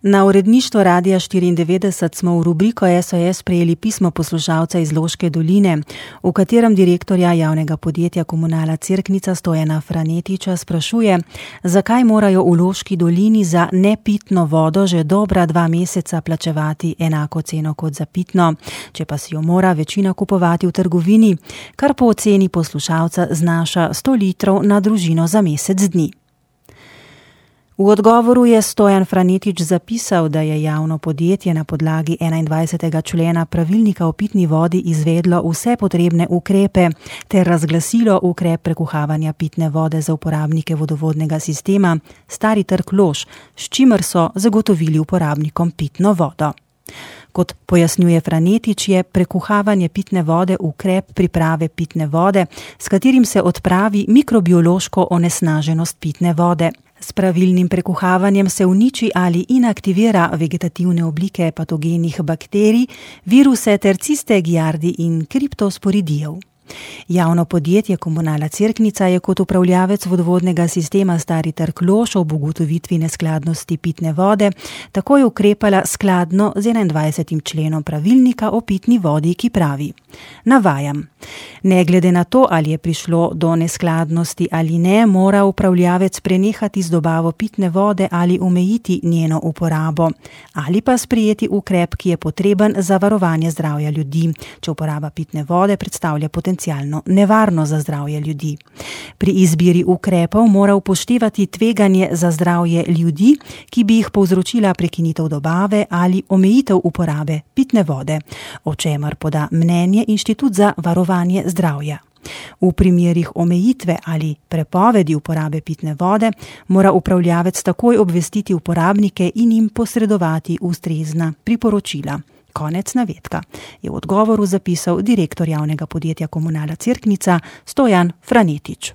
Na uredništvo Radia 94 smo v rubriko SOS prejeli pismo poslušalca iz Loške doline, v katerem direktorja javnega podjetja Komunala Cerknica Stojana Franetiča sprašuje, zakaj morajo v Loški dolini za nepitno vodo že dobra 2 meseca plačevati enako ceno kot za pitno, če pa si jo mora večina kupovati v trgovini, kar po oceni poslušalca znaša 100 litrov na družino za mesec dni. V odgovoru je Stojan Franetič zapisal, da je javno podjetje na podlagi 21. člena pravilnika o pitni vodi izvedlo vse potrebne ukrepe ter razglasilo ukrep prekuhavanja pitne vode za uporabnike vodovodnega sistema Stari trg Lož, s čimer so zagotovili uporabnikom pitno vodo. Kot pojasnjuje Franetič, je prekuhavanje pitne vode ukrep priprave pitne vode, s katerim se odpravi mikrobiološko onesnaženost pitne vode. S pravilnim prekuhavanjem se uniči ali inaktivira vegetativne oblike patogenih bakterij, viruse ter ciste, giardi in kriptosporidijev. Javno podjetje Komunala Cerknica je kot upravljavec vodovodnega sistema Stari trg Lož ob ugotovitvi neskladnosti pitne vode takoj ukrepala skladno z 21. členom pravilnika o pitni vodi, ki pravi, navajam, ne glede na to, ali je prišlo do neskladnosti ali ne, mora upravljavec prenehati z dobavo pitne vode ali omejiti njeno uporabo, ali pa sprejeti ukrep, ki je potreben za varovanje zdravja ljudi, če uporaba pitne vode predstavlja potencialno nevarno za zdravje ljudi. Pri izbiri ukrepov mora upoštevati tveganje za zdravje ljudi, ki bi jih povzročila prekinitev dobave ali omejitev uporabe pitne vode, o čemer poda mnenje Inštitut za varovanje zdravja. V primerih omejitve ali prepovedi uporabe pitne vode mora upravljavec takoj obvestiti uporabnike in jim posredovati ustrezna priporočila. Konec navedka, je v odgovoru zapisal direktor javnega podjetja Komunala Cerknica Stojan Franetič.